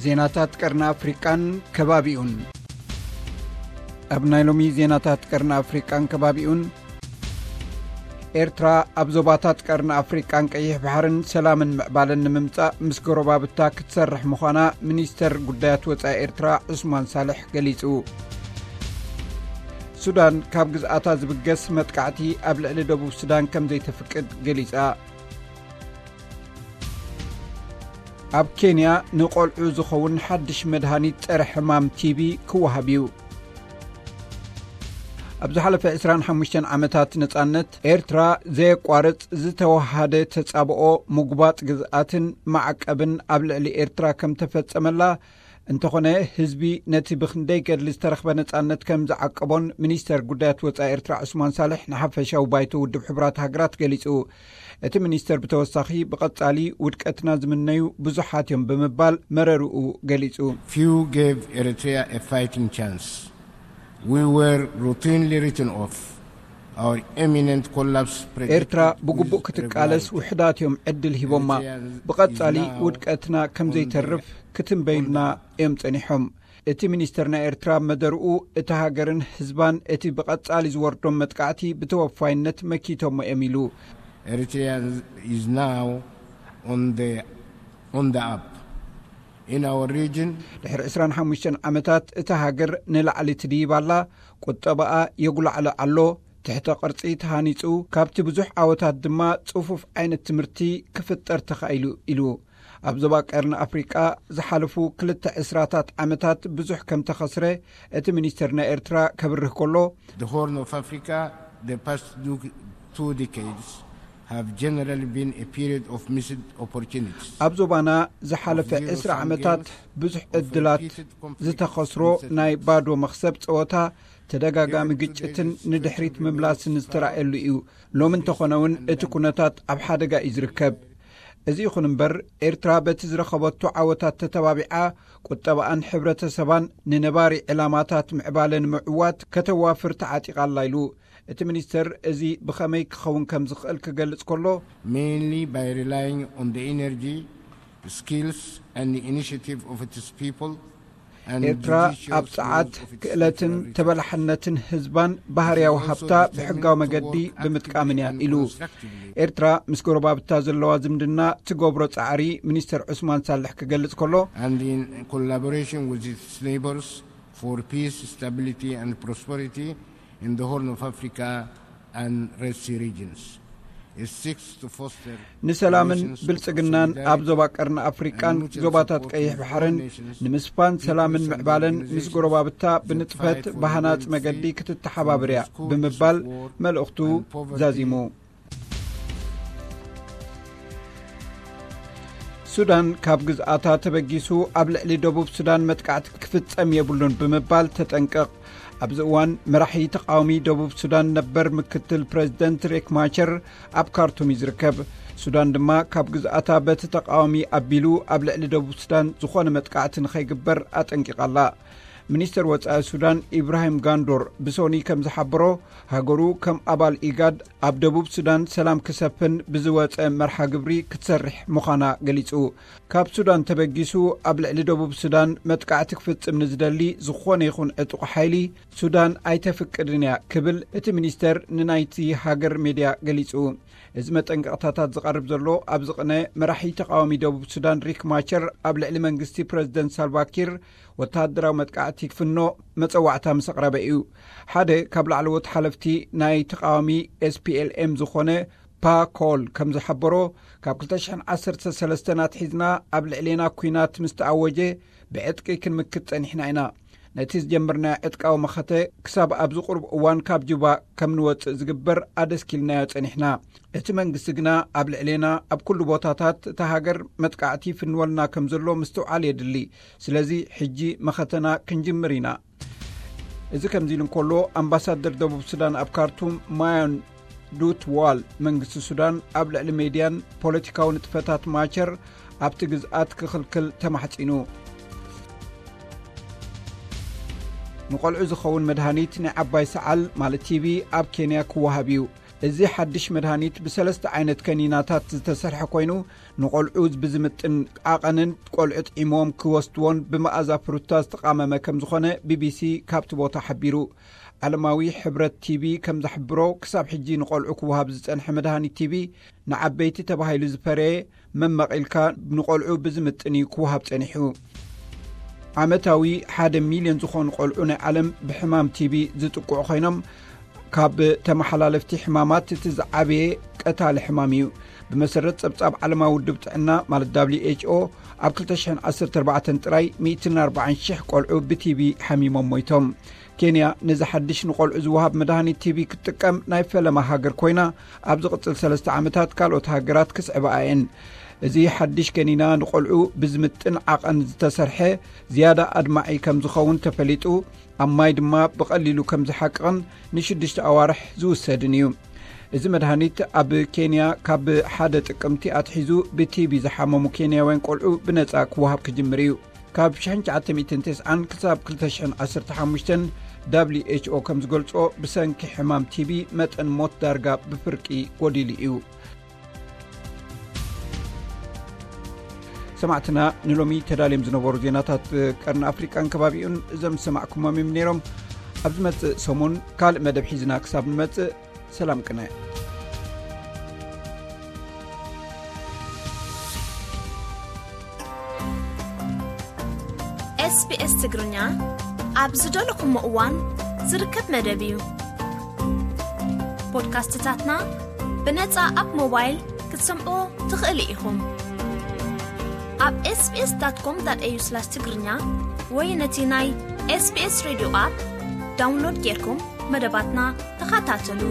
ዜናታት ቀርኒ ኣፍሪቃን ከባቢኡን። ኣብ ናይ ሎሚ ዜናታት ቀርኒ ኣፍሪቃን ከባቢኡን፣ ኤርትራ ኣብ ዞባታት ቀርኒ ኣፍሪቃን ቀይሕ ባሕርን ሰላምን ምዕባለን ንምምጻእ ምስ ጎረባብታ ክትሰርሕ ምዃና ሚኒስተር ጉዳያት ወጻኢ ኤርትራ ዑስማን ሳልሕ ገሊጹ። ሱዳን ካብ ግዝኣታ ዝብገስ መጥቃዕቲ ኣብ ልዕሊ ደቡብ ሱዳን ከም ዘይተፍቅድ ገሊጻ። ኣብ ኬንያ ንቖልዑ ዝኸውን ሓድሽ መድሃኒት ጸረ ሕማም ቲቢ ክወሃብ እዩ። ኣብ ዝሓለፈ ዕስራን ሓሙሽተን ዓመታት ነጻነት፣ ኤርትራ ዘየቋርጽ ዝተወሃደ ተጻብኦ፣ ምጉባጥ ግዝኣትን ማዕቀብን ኣብ ልዕሊ ኤርትራ ከም ተፈጸመላ፣ እንተኾነ ህዝቢ ነቲ ብኽንደይ ገድሊ ዝተረኽበ ነጻነት ከም ዝዓቀቦን ሚኒስተር ጉዳያት ወጻኢ ኤርትራ ዑስማን ሳልሕ ንሓፈሻዊ ባይቶ ውድብ ሕቡራት ሃገራት ገሊጹ። እቲ ሚኒስተር ብተወሳኺ፣ ብቐጻሊ ውድቀትና ዝምነዩ ብዙሓት እዮም ብምባል መረርኡ ገሊጹ። Few gave Eritrea a fighting chance. We were routinely written off. Our imminent collapse predicted ኤርትራ ብግቡእ with ክትቃለስ reverence. ውሕዳት እዮም ዕድል ሂቦማ። Eritreans ብቐጻሊ is now ውድቀትና ከም on ዘይተርፍ the ክትንበዩልና እዮም ጸኒሖም። እቲ ሚኒስተር ናይ ኤርትራ መደርኡ፣ እታ ሃገርን ህዝባን እቲ ብቐጻሊ ዝወርዶም መጥቃዕቲ ብተወፋይነት መኪቶሞ እዮም ኢሉ። Eritrea is now on the, on the up. In our region, ድሕሪ ዕስራን ሓሙሽተን ዓመታት እታ ሃገር ንላዕሊ ትድይብ ኣላ። ቁጠባኣ የጉላዕሎ ኣሎ። ትሕተ ቅርጺ ተሃኒጹ፣ ካብቲ ብዙሕ ዓወታት ድማ ጽፉፍ ዓይነት ትምህርቲ ክፍጠር ተኻኢሉ ኢሉ። ኣብ ዞባ ቀርኒ ኣፍሪቃ ዝሓለፉ ክልተ ዕስራታት ዓመታት ብዙሕ ከም ተኸስረ እቲ ሚኒስተር ናይ ኤርትራ ከብርህ ከሎ፣ The Horn of Africa, the past du-, two decades have generally been a period of missed opportunities. ኣብ ዞባና ዝሓለፈ ዕስራ ዓመታት ብዙሕ ዕድላት ዝተኸስሮ ናይ ባዶ መኽሰብ ጸወታ፣ ተደጋጋሚ ግጭትን ንድሕሪት ምምላስን ዝተራእየሉ እዩ። ሎሚ እንተኾነ እውን እቲ ኩነታት ኣብ ሓደጋ እዩ ዝርከብ። እዚ ይኹን እምበር፣ ኤርትራ በቲ ዝረኸበቶ ዓወታት ተተባቢዓ፣ ቁጠባኣን ሕብረተሰባን ንነባሪ ዕላማታት ምዕባለ ንምዕዋት ከተዋፍር ተዓጢቓ ኣላ ኢሉ። እቲ ሚኒስተር እዚ ብኸመይ ክኸውን ከም ዝኽእል ክገልጽ ከሎ፣ Mainly by relying on the energy, skills and the initiative of its people and ኤርትራ judicious ኣብ ጸዓት፣ ክእለትን ተበላሕነትን ህዝባን ባህርያዊ ሃብታ ብሕጋዊ መገዲ ብምጥቃምን እያ ኢሉ። ኤርትራ ምስ ጎረባብታ ዘለዋ ዝምድና ትገብሮ ጻዕሪ ሚኒስተር ዑስማን ሳልሕ ክገልጽ ከሎ፣ And in collaboration with its neighbors for peace, stability and prosperity in the Horn of Africa and Red Sea regions. ንሰላምን ብልጽግናን ኣብ ዞባ ቀርኒ ኣፍሪቃን ዞባታት ቀይሕ ባሕርን ንምስፋን ሰላምን ምዕባለን ምስ ጎረባብታ ብንጥፈት ብሃናጽ መገዲ ክትተሓባበር እያ ብምባል መልእኽቱ ዛዚሙ። ሱዳን ካብ ግዝኣታ ተበጊሱ ኣብ ልዕሊ ደቡብ ሱዳን መጥቃዕቲ ክፍጸም የብሉን ብምባል ተጠንቅቕ። ኣብዚ እዋን መራሒ ተቃዋሚ ደቡብ ሱዳን ነበር ምክትል ፕረዚደንት ሬክ ማቸር ኣብ ካርቱም እዩ ዝርከብ። ሱዳን ድማ ካብ ግዝኣታ በቲ ተቃዋሚ ኣቢሉ ኣብ ልዕሊ ደቡብ ሱዳን ዝኾነ መጥቃዕቲ ንኸይግበር ኣጠንቂቓ ኣላ። ሚኒስተር ወጻኢ ሱዳን ኢብራሂም ጋንዶር ብሶኒ ከም ዝሓበሮ፣ ሃገሩ ከም ኣባል ኢጋድ ኣብ ደቡብ ሱዳን ሰላም ክሰፍን ብዝወጸ መርሓ ግብሪ ክትሰርሕ ምዃና ገሊጹ። ካብ ሱዳን ተበጊሱ ኣብ ልዕሊ ደቡብ ሱዳን መጥቃዕቲ ክፍጽም ንዝደሊ ዝኾነ ይኹን ዕጡቕ ሓይሊ፣ ሱዳን ኣይተፍቅድን እያ ክብል እቲ ሚኒስተር ንናይቲ ሃገር ሜድያ ገሊጹ። እዚ መጠንቀቕታታት ዝቐርብ ዘሎ ኣብዚ ቅነ፣ መራሒ ተቃዋሚ ደቡብ ሱዳን ሪክ ማቸር ኣብ ልዕሊ መንግስቲ ፕረዚደንት ሳልቫኪር ወተሃደራዊ መጥቃዕቲ ክፍኖ መጸዋዕታ ምስ ኣቕረበ እዩ። ሓደ ካብ ላዕለዎት ሓለፍቲ ናይ ተቃዋሚ ኤስፒኤልኤም ዝኾነ ፓ ኮል ከም ዝሓበሮ፣ ካብ ክልተ ሽሕን ዓሰርተ ሰለስተን ኣትሒዝና ኣብ ልዕሌና ኲናት ምስ ተኣወጀ፣ ብዕጥቂ ክንምክት ጸኒሕና ኢና። ነቲ ዝጀመርናዮ ዕጥቃዊ መኸተ ክሳብ ኣብዚ ቁሩብ እዋን ካብ ጁባ ከም ንወጽእ ዝግበር ኣደስኪልናዮ ጸኒሕና። እቲ መንግስቲ ግና ኣብ ልዕሌና ኣብ ኩሉ ቦታታት እታ ሃገር መጥቃዕቲ ይፍንወልና ከም ዘሎ ምስትውዓል የድሊ። ስለዚ ሕጂ መኸተና ክንጅምር ኢና። እዚ ከምዚ ኢሉ እንከሎ፣ ኣምባሳደር ደቡብ ሱዳን ኣብ ካርቱም ማዮን ዱት ዋል፣ መንግስቲ ሱዳን ኣብ ልዕሊ ሜድያን ፖለቲካዊ ንጥፈታት ማቸር ኣብቲ ግዝኣት ክኽልክል ተማሕጺኑ። ንቆልዑ ዝኸውን መድሃኒት ናይ ዓባይ ሰዓል ማለት ቲቢ ኣብ ኬንያ ክወሃብ እዩ። እዚ ሓድሽ መድሃኒት ብሰለስተ ዓይነት ከኒናታት ዝተሰርሐ ኮይኑ፣ ንቆልዑ ብዝምጥን ዓቐንን ቆልዑ ጥዒሞም ክወስድዎን ብመኣዛ ፍሩታ ዝተቓመመ ከም ዝኾነ ቢቢሲ ካብቲ ቦታ ሓቢሩ። ዓለማዊ ሕብረት ቲቢ ከም ዘሕብሮ፣ ክሳብ ሕጂ ንቆልዑ ክወሃብ ዝጸንሐ መድሃኒት ቲቢ ንዓበይቲ ተባሂሉ ዝፈረየ መመቒልካ ንቆልዑ ብዝምጥን እዩ ክወሃብ ጸኒሑ። ዓመታዊ ሓደ ሚልዮን ዝኾኑ ቆልዑ ናይ ዓለም ብሕማም ቲቢ ዝጥቅዑ ኮይኖም፣ ካብ ተመሓላለፍቲ ሕማማት እቲ ዝዓበየ ቀታሊ ሕማም እዩ። ብመሰረት ጸብጻብ ዓለማዊ ውድብ ጥዕና ማለት ደብሊው ኤች ኦ፣ ኣብ ክልተ ሽሕን ዓሰርተ ኣርባዕተን ጥራይ ሚእትን ኣርባዓን ሽሕ ቆልዑ ብቲቢ ሓሚሞም ሞይቶም። ኬንያ ነዚ ሓድሽ ንቆልዑ ዝወሃብ መድሃኒት ቲቢ ክትጥቀም ናይ ፈለማ ሃገር ኮይና፣ ኣብ ዝቕጽል ሰለስተ ዓመታት ካልኦት ሃገራት ክስዕባ እየን። እዚ ሓድሽ ከኒና ንቆልዑ ብዝምጥን ዓቐን ዝተሰርሐ ዝያዳ ኣድማዒ ከም ዝኸውን ተፈሊጡ፣ ኣብ ማይ ድማ ብቐሊሉ ከም ዝሓቅቕን ንሽዱሽተ ኣዋርሕ ዝውሰድን እዩ። እዚ መድሃኒት ኣብ ኬንያ ካብ ሓደ ጥቅምቲ ኣትሒዙ ብቲቢ ዝሓመሙ ኬንያውያን ቆልዑ ብነጻ ክወሃብ ክጅምር እዩ። ካብ ሽሕን ትሽዓተ ሚእትን ተስዓን ክሳብ ክልተ ሽሕን ዓሰርተ ሓሙሽተን ደብሊው ኤች ኦ ከም ዝገልጾ፣ ብሰንኪ ሕማም ቲቢ መጠን ሞት ዳርጋ ብፍርቂ ጎዲሉ እዩ። ሰማዕትና፣ ንሎሚ ተዳልዮም ዝነበሩ ዜናታት ቀርኒ ኣፍሪቃን ከባቢኡን እዞም ዝሰማዕኩሞም እዮም ነይሮም። ኣብ ዝመጽእ ሰሙን ካልእ መደብ ሒዝና ክሳብ ንመጽእ፣ ሰላም ቅነ። ኤስቢኤስ ትግርኛ ኣብ ዝደለኹሞ እዋን ዝርከብ መደብ እዩ። ፖድካስትታትና ብነጻ ኣብ ሞባይል ክትሰምዑ ትኽእሉ ኢኹም። ኣብ ኤስቢኤስ ዳት ኮም ዳት ኤዩ ስላሽ ትግርኛ ወይ ነቲ ናይ ኤስቢኤስ ሬድዮ ኣፕ ዳውንሎድ ጌርኩም መደባትና ተኸታተሉ።